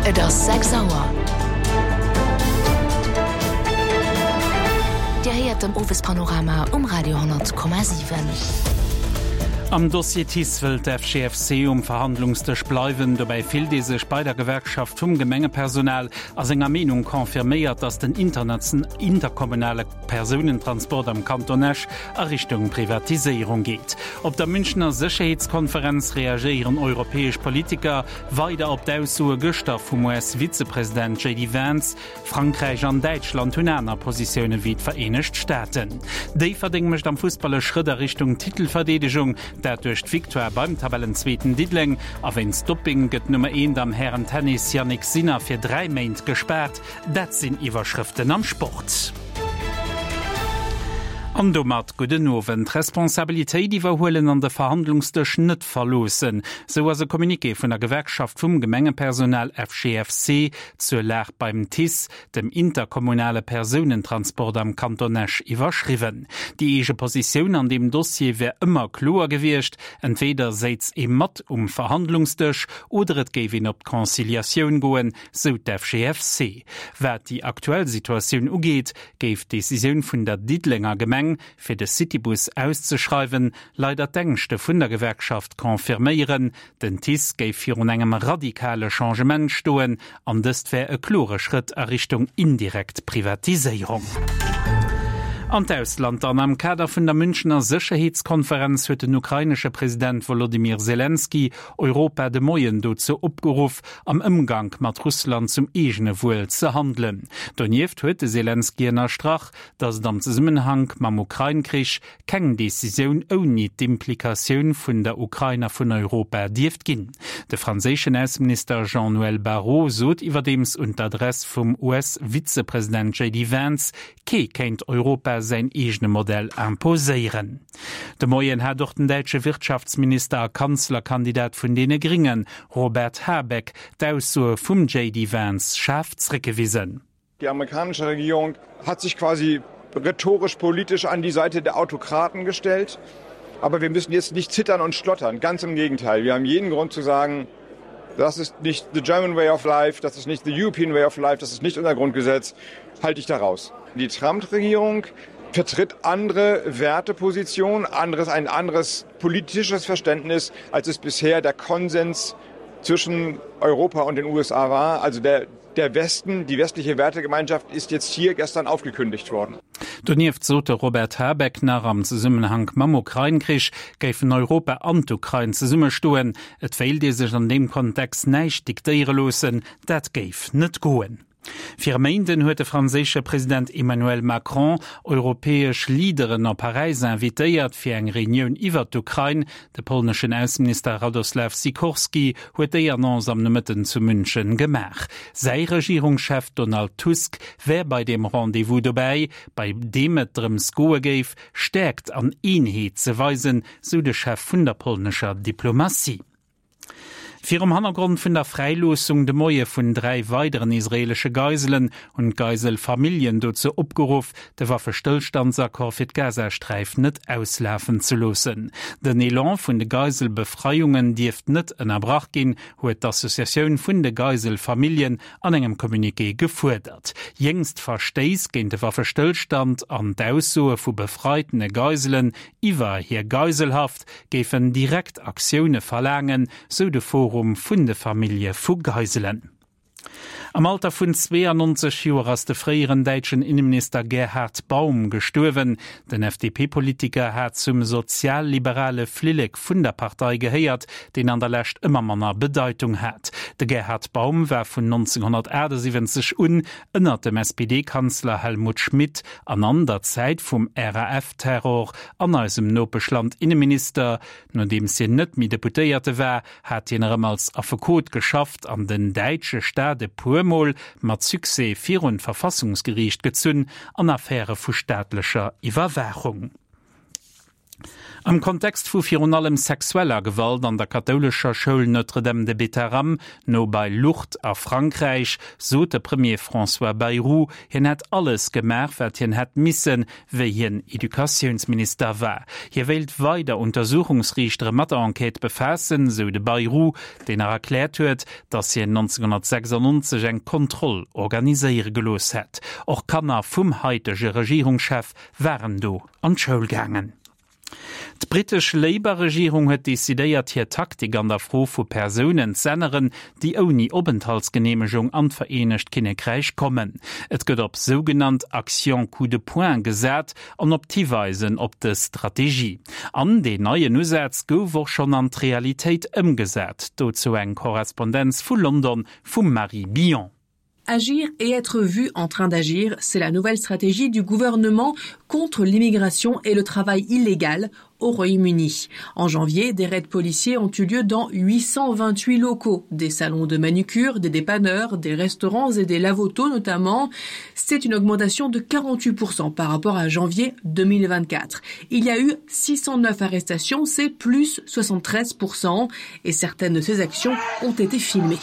Et ass 6 Auer. Dir héiert den Owespanorama um Radio 10,7. Am Dossier TICE wëll d'FGFC um Verhandlungsdësch bleiwen. Dobäi fillt ee sech bei der Gewerkschaft vum Gemengepersonal a senger Meenung confirméiert, datt den interkommunale Persounentransport am Kanton Esch a Richtung Privatiséierung geet. Op der Münchener Sécherheetskonferenz reagéieren europäesch Politiker weider op d'Aussoe gëschter vum US-Vizepresident JD Vance. Frankräich an Däitschland hunn aner Positioune wéi d'Vereenegt Staaten. Déifferdeng mécht am Fussball e Schrëtt a Richtung Titelverdeedegung, dat duerch d'Victoire beim Tabellenzweeten Diddeleng. A wéinst Dopping gëtt d'Nummer Eent am Hären-Tennis Jannik Sinner fir 3 Méint gespaart. Dat sinn Iwwerschrëften am Sport. An domat gudden Owend. Responsabilitéit iwwerhuelen an de Verhandlungsdësch net verloossen, sou ass e Communiqué vun der Gewerkschaft vum Gemengepersonal FGFC zur Lag beim TICE, dem interkommunale Persounentransport am Kanton Esch, iwwerschriwwen. Déi eege Positioun an deem Dossier wär ëmmer kloer gewiescht, entweeder séiz ee mat um Verhandlungsdësch oder et géif een op d'Conciliatioun goen, sou d'FGFC. Wat déi aktuell Situatioun ugeet, géif d'Decisioun vun der Diddelenger Gemeng, fir de Citybus auszeschreiwen, leider d'Ängschte vun der Gewerkschaft confirméieren. Den TICE géif virun engem radikale Changement stoen an dëst wär e klore Schrëtt a Richtung indirekt Privatiséierung. An d'Ausland dann. Am Kader vun der Münchener Sécherheetskonferenz huet den ukrainesche President Wolodymyr Selenskyj Europa de Moien dozou opgeruff, am Ëmgank mat Russland zum eegene Wuel ze handelen. Donieft huet de Selenskyj ënnerstrach, datt et am Zesummenhank mam Ukrain-Krich keng Decisioun ouni d'Implikatioun vun der Ukrain a vun Europa dierft ginn. De franséischen Ausseminister Jean-Noël Barrot sot iwwerdeems un d'Adress vum US-Vizepresident JD Vance, Kee kéint Europa säin eegene Modell imposéieren. De Moien hat och den däitsche Wirtschaftsminister a Kanzlerkandidat vun deene Gringen, Robert Habeck, d'Aussoe vum JD Vance schaarf zréckgewisen. Die amerikanische Regierung hat sich quasi rhetorisch politisch an die Seite der Autokraten gestellt. Aber wir müssen jetzt nicht zittern und schlottern. Ganz im Gegenteil. Wir haben jeden Grund zu sagen, das ist nicht the German way of life, das ist nicht the European way of life, das ist nicht unser Grundgesetz. Halte ich daraus. Die Trump-Regierung vertritt andere Wertepositionen, anderes, ein anderes politisches Verständnis, als es bisher der Konsens zwischen Europa und den USA war. Also der, der Westen, die westliche Wertegemeinschaft ist jetzt hier gestern aufgekündigt worden. Donieft sot de Robert Habeck nach, am Zesummenhank mam Ukrain-Krich géifen Europa an d'Ukrain zesummestoen. Et wéilt ee sech an deem Kontext näischt diktéiere loossen, dat géif net goen. Fir e Méinden huet de franséische President Emmanuel Macron europäesch Leaderen op Paräis invitéiert fir eng Reunioun iwwert d'Ukrain. De polneschen Ausseminister Radoslaw Sikorski huet déi Annonce am Nomëtten zu München gemaach. Säi Regierungschef Donald Tusk wär bei deem Rendez-vous dobäi, bei deem et drëms goe géif, Stäerkt an Eenheet ze weisen, sou de Chef vun der polnescher Diplomatie. Virum Hannergrond vun der Fräiloossung de Moie vun 3 weideren israeelesche Geiselen hunn d'Geiselfamilljen dozou opgeruff, de Waffestëllstandsaccord fir d'Gazasträif net auslafen ze loossen. Den Elan vun de Geiselbefreiungen dierft net ënnerbrach ginn, huet d'Associatioun vun de Geiselfamilljen an engem Communiqué gefuerdert. Jéngst Verstéiss géint de Waffestëllstand an d'Aussoe vu befreitene Geiselen iwwer hir Geiselhaft géifen direkt Aktioune verlaangen, sou de Forum vun de Famillje vu Geiselen. Am Alter vun 92 Joer ass de fréieren däitschen Inneminister Gerhard Baum gestuerwen. Den FDP-Politiker hat zum sozialliberale Flillek vun der Partei gehéiert, deen an der Lescht ëmmer manner Bedeitung hat. De Gerhard Baum war vun 1978 un ënnert dem SPD-Kanzler Helmut Schmidt an an der Zäit vum RAF-Terror an eisem Nopeschland Inneminister. Nodeems hien net méi Deputéierte war, hat hien erëm als Affekot geschafft an den däitsche Staat e puer Mol mat Succès virun d'Verfassungsgeriicht gezunn an Affäre vu staatlecher Iwwerwaachung. Am Kontext vu virun allem sexueller Gewalt an der kathoulescher Schoul Notre-Dame de Bétharram, no bei Lourdes a Frankräich, sot de Premier François Bayrou, hien hätt alles gemaach, wat hien hätt missen, wéi hien Educatiounsminister war. Hie wéilt weider Untersuchungsriichtere mat der Enquête befaassen, sou de Bayrou, deen nach erkläert huet, datt hien 1996 eng Kontroll organiséiere gelooss hätt. Och Kanner vum haitege Regierungschef waren do an d'Schoul gaangen. D'brittesch Labour-Regierung huet decidéiert, hir Taktik an der Fro vu Persounen z'änneren, déi ouni Openthaltsgeneemegung an d'Vereenegt Kinnekräich kommen. Et gëtt op sougenannt Actions coup de poing gesat an op d'Hiweisen op dës Strategie. An deen neien Usaz gouf och schonn an d'Realitéit ëmgesat. Dozou eng Korrespondenz vu London vum Marie Billon. Agir et être vu en train d'agir, c'est la nouvelle stratégie du gouvernement contre l'immigration et le travail illégal au Royaume-Uni. En janvier, des raids policiers ont eu lieu dans 828 locaux, des salons de manucure, des dépanneurs, des restaurants et des lavotos notamment. C'est une augmentation de 48% par rapport à janvier 2024. Il y a eu 609 arrestations, c'est plus 73% et certaines de ces actions ont été filmées.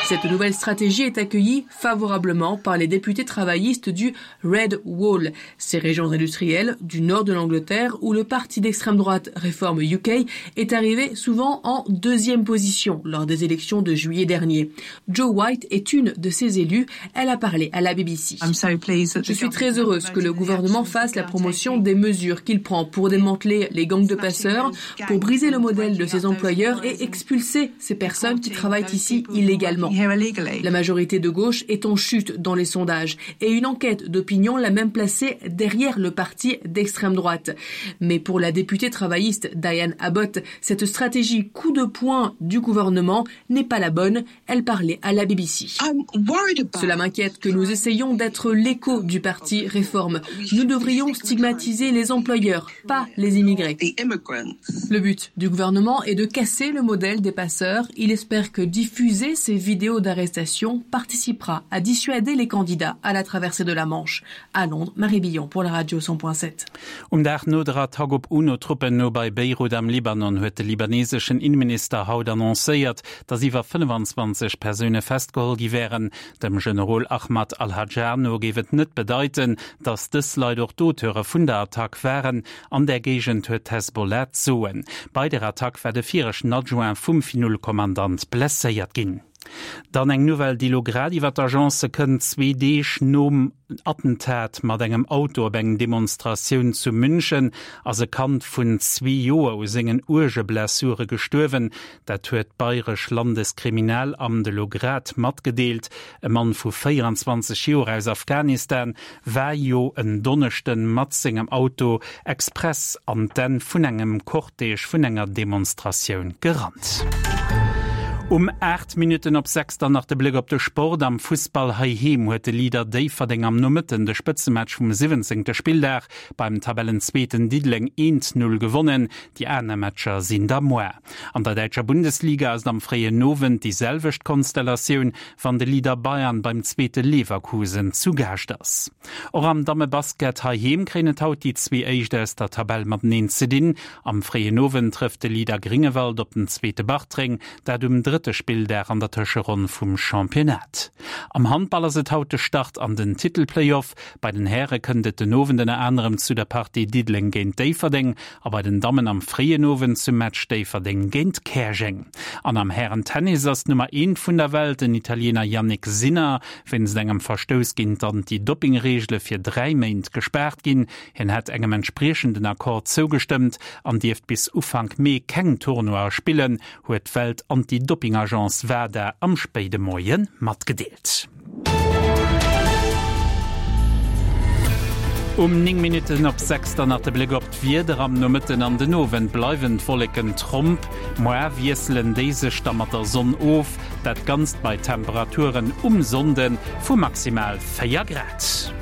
Cette nouvelle stratégie est accueillie favorablement par les députés travaillistes du Red Wall, ces régions industrielles du nord de l'Angleterre où le parti d'extrême droite Reform UK est arrivé souvent en deuxième position lors des élections de juillet dernier. Joe White est une de ces élus, elle a parlé à la BBC. Je suis très heureuse que le gouvernement fasse la promotion des mesures qu'il prend pour démanteler les gangs de passeurs, pour briser le modèle de ses employeurs et expulser ces personnes qui travaillent ici illégalement. La majorité de gauche est en chute dans les sondages et une enquête d'opinion l'a même placée derrière le parti d'extrême droite. Mais pour la députée travailliste Diane Abbott, cette stratégie coup de poing du gouvernement n'est pas la bonne. Elle parlait à la BBC. Cela m'inquiète que nous essayions d'être l'écho du parti Réforme. Nous devrions stigmatiser les employeurs, pas les immigrés. Le but du gouvernement est de casser le modèle des passeurs. Il espère que diffuser ces vidéos d'arrestation participera à dissuader les candidats à la traversée de la Manche. À Londres, Marie Billon pour la radio 100.7. Um Dag no der Attack op UNO-Truppen no bei Beirut am Libanon huet de libaneseschen Inneminister haut annoncéiert, datt iwwer 25 Persoune festgeholl gi wären. Dem Generol Ahmad al-Hajjar no géif et net bedeiten, datt dës Leit och d'Auteure vun der Attack waren. An där Géigend huet d'Hezbollah d'Soen. Bei der Attack war de viregten Adjoint vum Finul-Kommandant blesséiert ginn. Dann eng Nouvelle, déi elo grad iwwer d'Agence kënnt, Zwee Deeg nom Attentat mat engem Auto op eng Demonstratioun zu München ass e Kand vun zwee Joer u sengen uerge Blessure gestuerwen. Dat huet d'Bayresch Landeskriminalamt elo grad matgedeelt. E Mann vu 24 Joer aus Afghanistan war jo en Donneschden mat sengem Auto express an d'Enn vun engem Cortège vun enger Demonstratioun gerannt. Um 8 Minutten op 6 dann nach de Bléck op de Sport. Am Fussball heiheem huet de Leader Déifferdeng am Nomëtten de Spëtzematch vum 17. Spilldag beim Tabellenzweeten Diddeleng 1, 0 gewonnen. Déi aner Matcher sinn da moar. An der däitscher Bundesliga ass et am fréien Owend déi selwecht Konstellatioun, wann de Leader Bayern beim zweete Leverkusen zu Gaascht ass. Och am Dammebasket heiheem kréien et haut déi zwee Éischt aus der Tabell mateneen ze dinn. Am fréien Owend trëfft de Leader Gréngewald op den zweete Bartreng, dat um drëtte Spilldag an der Tëscheronn vum Championnat. Am Handball ass et haut de Start an den Titelplayoff. Bei den Häre kënnt et den Owend ënner anerem zu der Partie Diddeleng géint Déifferdeng a bei den Dammen am fréien Owend zum Match Déifferdeng géint Käerjeng. An am Hären-Tennis ass d'Nummer Eent vun der Welt, den Italiener Jannik Sinner, wéinst engem Verstouss géint d'Anti-Dopping-Reegele fir 3 Méint gespaart ginn. Hien hätt engem entspriechenden Accord zougestëmmt an dierft bis Ufank Mee keng Tournoie spillen, huet d'Welt-Anti-Dopping-Agence WADA am spéide Moie matgedeelt. Um 9 Minutten op 6 dann nach de Bléck op d'Wieder. Am Nomëtten an den Owend bleiwen d'Wolleken tromp, moar wiesselen déi sech da mat der Sonn of. Dat Ganzt bei Temperaturen um Sonnde vu maximal 4 Grad.